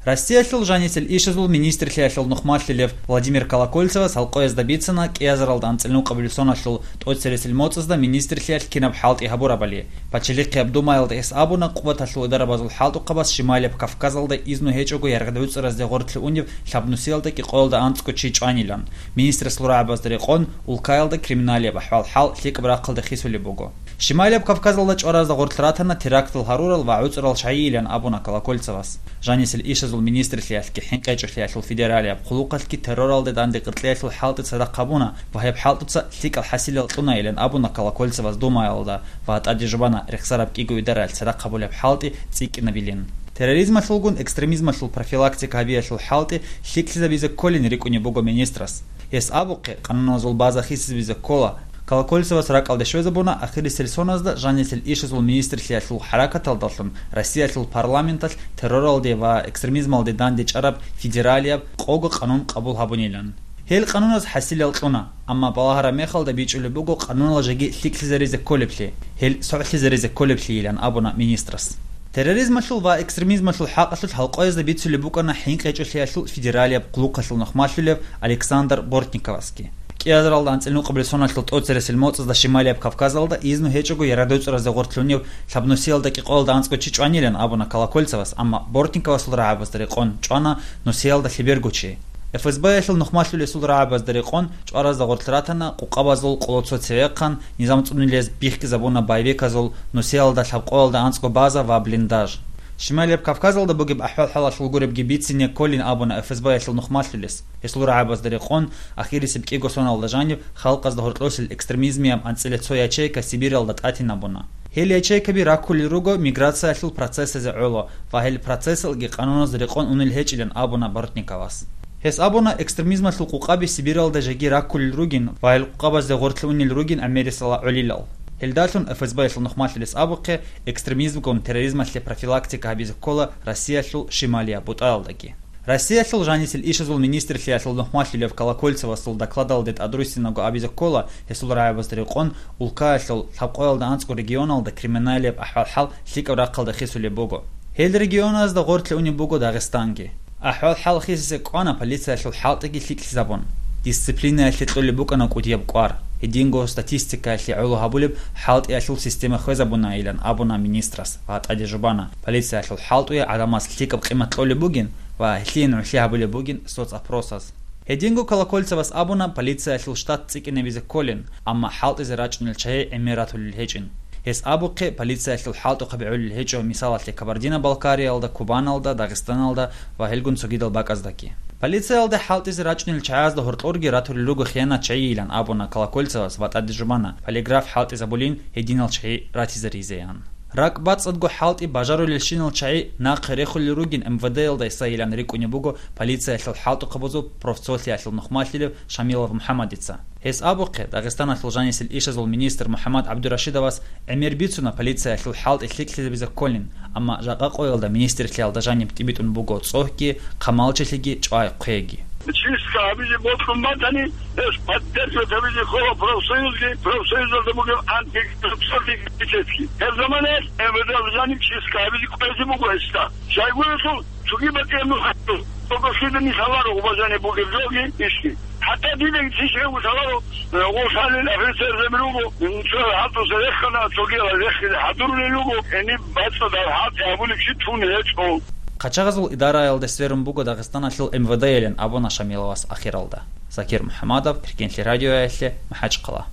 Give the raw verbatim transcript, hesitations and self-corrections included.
Россиялъул жанисел ишазул министрлъиялъул нухмалъулев Владимир Колокольцевас гьалкъоязда бицана кӀиазаралда анцӀил нукъабилеб соналъул тӀоцересел моцӀазда министрлъиялъ кинаб хӀалтӀи гьабурабали. Пачалихъияб Думаялда гьес абуна, Къубаталъул идарабазул хӀалтӀухъабаз Шималияб Кавказалда изну гьечӀого яргъдавуцӀаразде гъорлъе унев лъабнусиялда кӀикъоялда анцӀго чи чӀванилан. Министрас рагӀабазда рекъон, улкаялда криминалияб ахӀвал-хӀал лъикӀаб рахъалда хисулеб буго. Шималияб Кавказалда чӀваразда гъорлъ ратана терактал гьарурал ва гӀуцӀрал чагӀийилан абуна Колокольцевас. Жанисел ишазул министрлъиялъги хӀинкъичӀолъиялъул федералияб хъулухъалъги терроралде данде къеркьеялъул хӀалтӀи цадахъ гьабуна ва гьеб хӀалтӀуца лъикӀал хӀасилал кьуна илан абуна Колокольцевас Думаялда ва тӀаде жубана рехсараб кӀиго идараялъ цадахъ гьабулеб хӀалтӀи цӀикӀкӀинабилин. Терроризмалъулгун экстремизмалъул профилактика гьабиялъул хӀалтӀи лъикӀлъизабизе кколин рикӀкӀунеб буго министрас. Гьес абухъе, къануналъул база хисизабизе ккола. Колокольцевас ракӀалде щвезабуна, ахирисел соназда жанисел ишазул министрлъиялъул хӀаракаталдалъун Россиялъул парламенталъ терроралде ва экстремизмалде дандечӀараб федералияб къого къанун къабул гьабунилан. Гьел къануназ хӀасилал кьуна, амма балагьараб мехалда бичӀчӀулеб буго къанунал жеги лъикӀлъизаризе кколеблъи, гьел согӀлъизаризе кколеблъийилан абуна министрас. Терроризмалъул ва экстремизмалъул хӀакъалъулъ гьалкъоязда бицулеб букӀана ХӀинкъичӀолъиялъул федералияб хъулухъалъул нухмалъулев Александр Бортниковасги. КӀиазаралда анцӀил нукъабилеб соналъул тӀоцересел моцӀазда Шималияб Кавказалда изну гьечӀого яргъдавуцӀаразде гъорлъе унев лъабнусиялда кӀикъоялда анцӀго чи чӀванилан абуна Колокольцевас, амма Бортниковасул рагӀабазда рекъон чӀвана нусиялда лъеберго чи. ФСБ-ялъул нухмалъулесул рагӀабазда рекъон чӀваразда гъорлъ ратана къукъабазул къоло цо цевехъан, низам цӀунилез бихьизабуна байбеказул нусиялда лъабкъоялда анцӀго база ва блиндаж. Шималияб Кавказалда бугеб ахӀвал-хӀалалъул гуребги бицине кколин абуна ФСБ-ялъул нухмалъулес. Гьесул рагӀабазда рекъон, ахирисеб кӀиго соналда жаниб халкъазда гьоркьосел экстремизмияб анцӀила цо ячейка Сибиралда тӀатинабуна. Гьел ячейкаби раккулел руго миграциялъул процессазе гӀоло ва гьел процессалги къануназда рекъон унел гьечӀилан абуна Бортниковас. Гьес абуна, экстремизмалъул къукъаби Сибиралда жеги раккулел ругин ва гьел къукъабазде гъорлъе унел ругин гӀемерисела гӀолилал. Гьелдалъун ФСБ-ялъул нухмалъулес абухъе, экстремизмгун терроризмалъе профилактика гьабизе ккола Россиялъул шималияб бутӀаялдаги. Россиялъул жанисел ишазул министрлъиялъул нухмалъулев Колокольцевасул докладалде тӀадруссинаго абизе ккола, гьесул рагӀабазда рекъон, улкаялъул лъабкъоялда анцӀго регионалда криминалияб ахӀвал-хӀал лъикӀаб рахъалда хисулеб буго. Гьел регионазда гъорлъе унеб буго Дагъистанги. АхӀвал-хӀал хисизе кӀвана полициялъул хӀалтӀиги лъикӀлъизабун. Дисциплинаялъе кьолеб букӀана кӀудияб кӀвар. Гьединго статистикаялъе гӀоло гьабулеб хӀалтӀиялъул система хвезабунаилан абуна министрас ва тӀаде жубана, полициялъул хӀалтӀуе гӀадамаз лъикӀаб къимат кьолеб бугин ва гьелъие нугӀлъи гьабулеб бугин соцопросаз. Гьединго Колокольцевас абуна, полициялъул штат цӀикӀкӀинабизе кколин, амма хӀалтӀизе рачӀунел чагӀи гӀемер ратулел гьечӀин. Гьес абухъе, полициялъул хӀалтӀухъаби гӀолел гьечӀо, мисалалъе, Кабардино-Балкариялда, Кубаналда, Дагъистаналда ва гьелгун цогидал бакӀаздаги. Полициялда хӀалтӀизе рачӀунел чагӀазда гьоркьорги ратулел руго хиянат чагӀийилан абуна Колокольцевас ва тӀаде жубана, полиграф хӀалтӀизабулин гьединал чагӀи ратизаризеян. РакӀ бацӀцӀадго хӀалтӀи бажарулелщинал чагӀи нахъе рехулел ругин МВД-ялда гьесайилан рикӀкӀунеб буго полициялъул хӀалтӀухъабазул профцолъиялъул нухмалъулев Шамилов МухӀаммадица. Гьес абухъе, Дагъистаналъул жанисел ишазул министр МухӀаммад ГӀабдурашидовас гӀемер бицуна полициялъул хӀалтӀи лъикӀлъизабизе кколин, амма жакъа къоялда министрлъиялда жаниб тӀибитӀун буго цӀогьги, хъамалчилъиги, чӀвай-хъвейги. Чистка гьабизе бокьун батани, гьес поддерживать гьабизе ккола профсоюзги, профсоюзалда бугеб антикоррупционный комитетги. Гьеб заманаялъ МВД-алда жаниб чистка гьабизе кквезе буго гьесда. Щайгурелъул цоги батӀияб нух гьабун, цого щведани лъаларо гъубазани бугеб жоги ишги. ХӀатта дида ишги гьев лъаларо, э, гъолъанин офицерзаби руго, цо хӀалтӀуса рехана, цогияла рехизе хӀадурулел руго, гьениб бацӀцӀадаб хӀалтӀи гьабулеб чи тун гьечӀо. Хъачагъазул идараялде сверун буго Дагъистаналъул МВД-ялин абуна Шамиловас ахиралда. Закир МухӀамадов, Эркенлъи радиоялъе, МахӀачхъала.